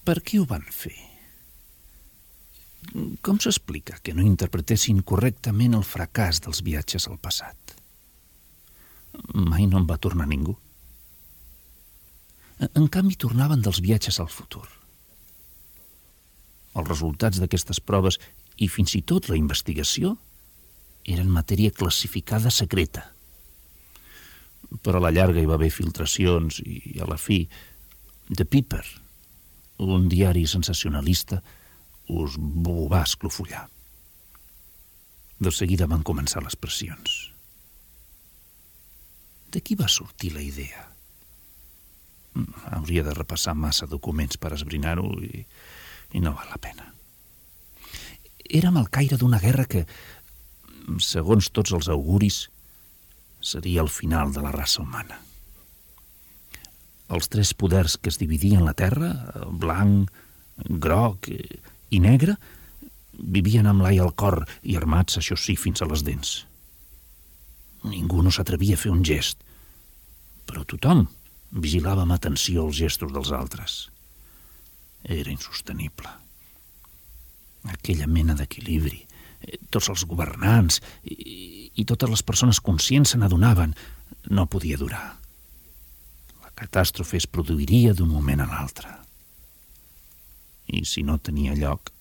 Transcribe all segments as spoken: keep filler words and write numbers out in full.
Per què ho van fer? Com s'explica que no interpretessin correctament el fracàs dels viatges al passat? Mai no en va tornar ningú. En canvi, tornaven dels viatges al futur. Els resultats d'aquestes proves i fins i tot la investigació eren matèria classificada secreta. Però a la llarga hi va haver filtracions i, a la fi, The Piper, un diari sensacionalista, us ho va esclofollar. De seguida van començar les pressions. De qui va sortir la idea? Hauria de repassar massa documents per esbrinar-ho i, i no val la pena. Érem al caire d'una guerra que, segons tots els auguris, seria el final de la raça humana. Els tres poders que es dividien la terra, blanc, groc i negre, vivien amb l'ai al cor i armats, això sí, fins a les dents. Ningú no s'atrevia a fer un gest, però tothom vigilava amb atenció els gestos dels altres. Era insostenible. Aquella mena d'equilibri. Tots els governants i, i totes les persones conscients se n'adonaven, no podia durar. La catàstrofe es produiria d'un moment a l'altre. I si no tenia lloc,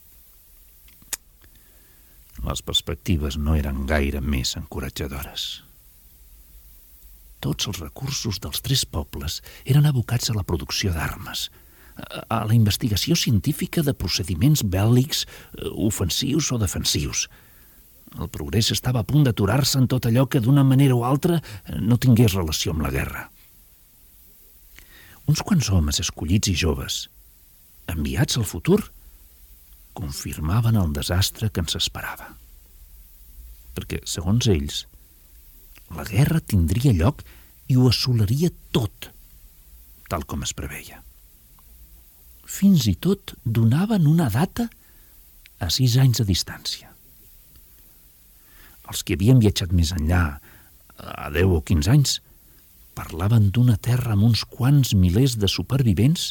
les perspectives no eren gaire més encoratjadores. Tots els recursos dels tres pobles eren abocats a la producció d'armes, a la investigació científica de procediments bèl·lics, ofensius o defensius. El progrés estava a punt d'aturar-se en tot allò que d'una manera o altra no tingués relació amb la guerra. Uns quants homes escollits i joves, enviats al futur, confirmaven el desastre que ens esperava. Perquè, segons ells, la guerra tindria lloc i ho assolaria tot, tal com es preveia. Fins i tot donaven una data a sis anys de distància. Els que havien viatjat més enllà, a deu o quinze anys, parlaven d'una terra amb uns quants milers de supervivents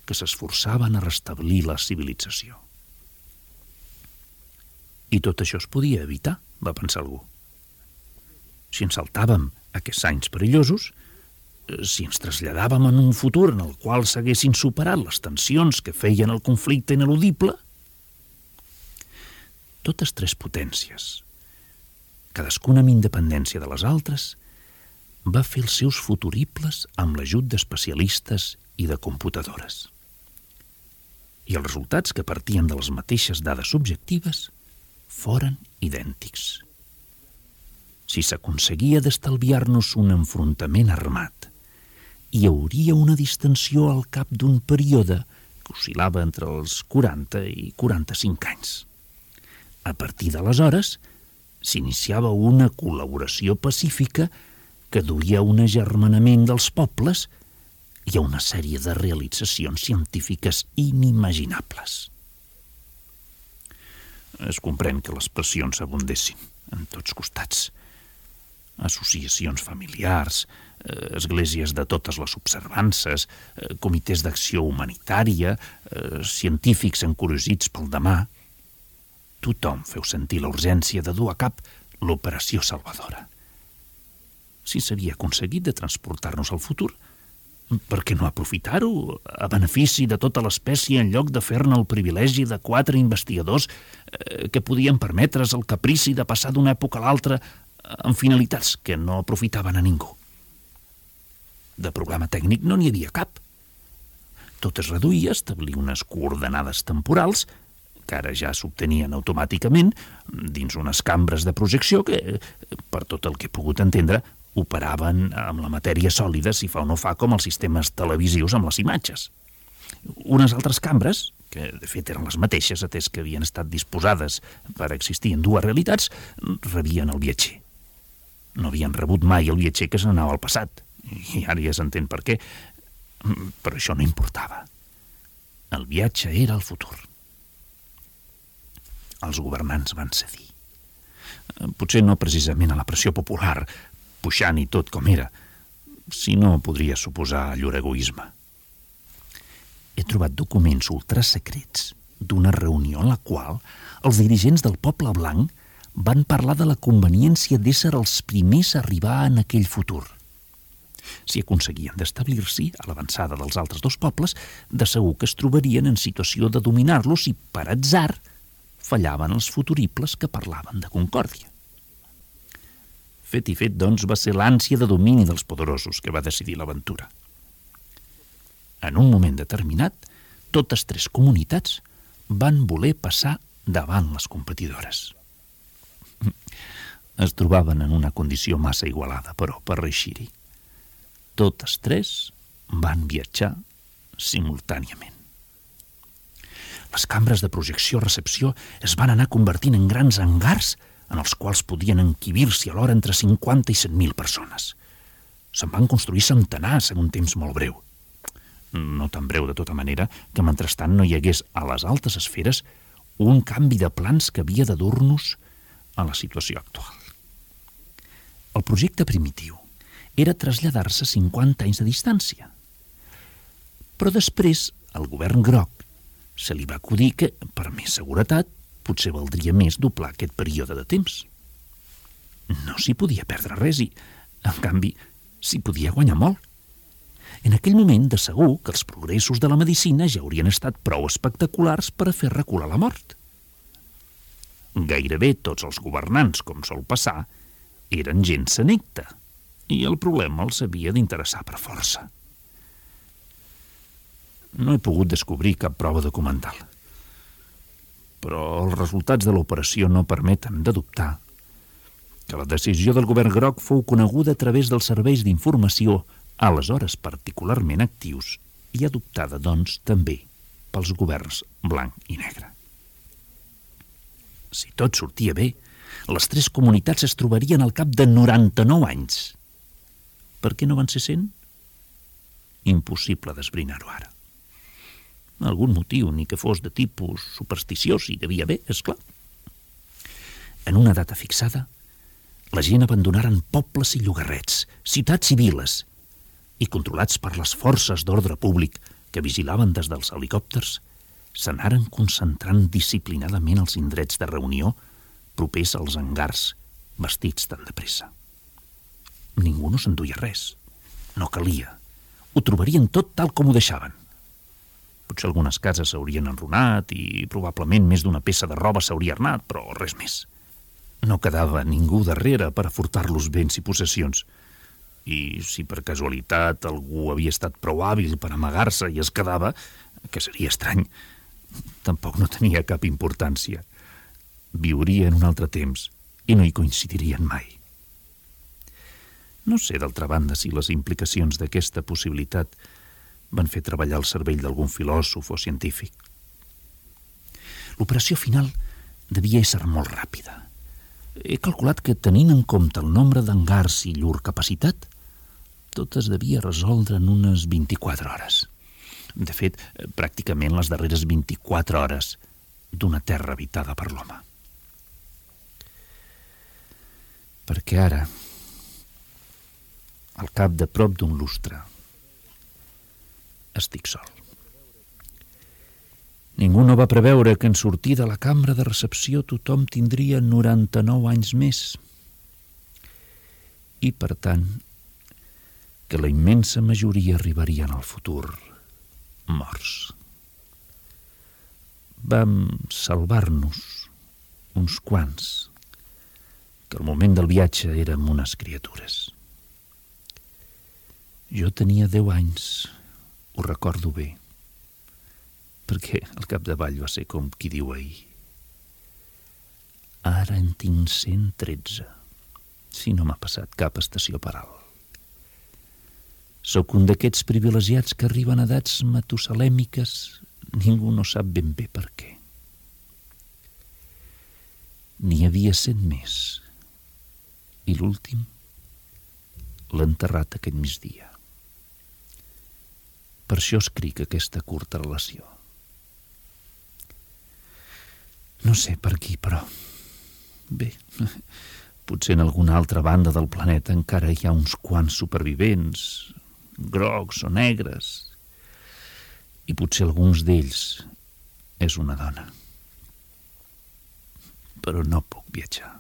que s'esforçaven a restablir la civilització. I tot això es podia evitar, va pensar algú. Si ens saltàvem aquests anys perillosos, si ens traslladàvem en un futur en el qual s'haguessin superat les tensions que feien el conflicte ineludible, totes tres potències, cadascuna amb independència de les altres, va fer els seus futuribles amb l'ajut d'especialistes i de computadores. I els resultats, que partien de les mateixes dades subjectives, foren idèntics. Si s'aconseguia d'estalviar-nos un enfrontament armat, hi hauria una distensió al cap d'un període que oscil·lava entre els quaranta i quaranta-cinc anys. A partir d'aleshores, s'iniciava una col·laboració pacífica que duia a un agermanament dels pobles i a una sèrie de realitzacions científiques inimaginables. Es comprèn que les pressions abundessin en tots costats. Associacions familiars, esglésies de totes les observances, comitès d'acció humanitària, científics encuriosits pel demà. Tothom feu sentir la urgència de dur a cap l'operació salvadora. Si s'havia aconseguit de transportar-nos al futur, per què no aprofitar-ho a benefici de tota l'espècie en lloc de fer-ne el privilegi de quatre investigadors que podien permetre's el caprici de passar d'una època a l'altra amb finalitats que no aprofitaven a ningú? De programa tècnic no n'hi havia cap. Tot es reduïa a establir unes coordenades temporals que ara ja s'obtenien automàticament dins unes cambres de projecció que, per tot el que he pogut entendre, operaven amb la matèria sòlida, si fa o no fa, com els sistemes televisius amb les imatges. Unes altres cambres, que de fet eren les mateixes, atès que havien estat disposades per existir en dues realitats, rebien el viatger. No havien rebut mai el viatger que se n'anava al passat, i ara ja s'entén per què, però això no importava. El viatge era el futur. Els governants van cedir. Potser no precisament a la pressió popular, puixant i tot com era, sinó podria suposar llur egoisme. he trobat documents ultrasecrets d'una reunió en la qual els dirigents del poble blanc van parlar de la conveniència d'ésser els primers a arribar en aquell futur. Si aconseguien d'establir-s'hi a l'avançada dels altres dos pobles, de segur que es trobarien en situació de dominar-los i, per atzar, fallaven els futuribles que parlaven de concòrdia. Fet i fet, doncs, va ser l'ànsia de domini dels poderosos que va decidir l'aventura. En un moment determinat, totes tres comunitats van voler passar davant les competidores. Es trobaven en una condició massa igualada, però, per reeixir-hi. Totes tres van viatjar simultàniament. Les cambres de projecció-recepció es van anar convertint en grans hangars en els quals podien encabir-s'hi alhora entre cinquanta i cent mil persones. Se'n van construir centenars en un temps molt breu. No tan breu, de tota manera, que mentrestant no hi hagués a les altes esferes un canvi de plans que havia de dur-nos a la situació actual. El projecte primitiu era traslladar-se cinquanta anys de distància. Però després, al govern groc se li va acudir que, per més seguretat, potser valdria més doblar aquest període de temps. No s'hi podia perdre res i, en canvi, s'hi podia guanyar molt. En aquell moment, de segur que els progressos de la medicina ja haurien estat prou espectaculars per a fer recular la mort. Gairebé tots els governants, com sol passar, eren gent senecta, i el problema els havia d'interessar per força. No he pogut descobrir cap prova documental, però els resultats de l'operació no permeten de dubtar que la decisió del govern groc fou coneguda a través dels serveis d'informació, aleshores particularment actius, i adoptada, doncs, també pels governs blanc i negre. Si tot sortia bé, les tres comunitats es trobarien al cap de noranta-nou anys. Per què no van ser cent? Impossible d'esbrinar-ho ara. Algun motiu, ni que fos de tipus supersticiós, hi devia haver, és clar. En una data fixada, la gent abandonaren pobles i llogarrets, ciutats i viles, i controlats per les forces d'ordre públic que vigilaven des dels helicòpters, s'anaren concentrant disciplinadament als indrets de reunió propers als hangars, vestits tan de pressa. Ningú no s'enduia res. No calia. Ho trobarien tot tal com ho deixaven. Potser algunes cases s'haurien enrunat i probablement més d'una peça de roba s'hauria arnat, però res més. No quedava ningú darrere per a furtar-los béns i possessions. I si per casualitat algú havia estat prou hàbil per amagar-se i es quedava, que seria estrany, tampoc no tenia cap importància. Viuria en un altre temps i no hi coincidirien mai. No sé, d'altra banda, si les implicacions d'aquesta possibilitat van fer treballar el cervell d'algun filòsof o científic. L'operació final devia ésser molt ràpida. He calculat que, tenint en compte el nombre d'hangars i llur capacitat, tot es devia resoldre en unes vint-i-quatre hores. De fet, pràcticament les darreres vint-i-quatre hores d'una terra habitada per l'home. Perquè ara, al cap de prop d'un lustre, estic sol. Ningú no va preveure que en sortir de la cambra de recepció tothom tindria noranta-nou anys més. I, per tant, que la immensa majoria arribarien al futur morts. Vam salvar-nos uns quants, que al moment del viatge érem unes criatures. Jo tenia deu anys, ho recordo bé, perquè al capdavall va ser com qui diu ahir. Ara en tinc cent tretze, si no m'ha passat cap estació per alt. Sóc un d'aquests privilegiats que arriben a edats matusalèmiques, ningú no sap ben bé per què. N'hi havia cent més, i l'últim l'ha enterrat aquest migdia. Per això escric aquesta curta relació. No sé per qui, però... Bé, potser en alguna altra banda del planeta encara hi ha uns quants supervivents, grocs o negres, I potser alguns d'ells és una dona. Però no puc viatjar.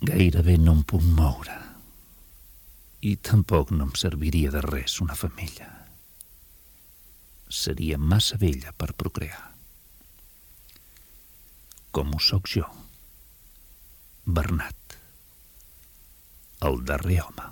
Gairebé no em puc moure. I tampoc no em serviria de res una femella. Seria massa vella per procrear. Com ho sóc jo, Bernat, el darrer home.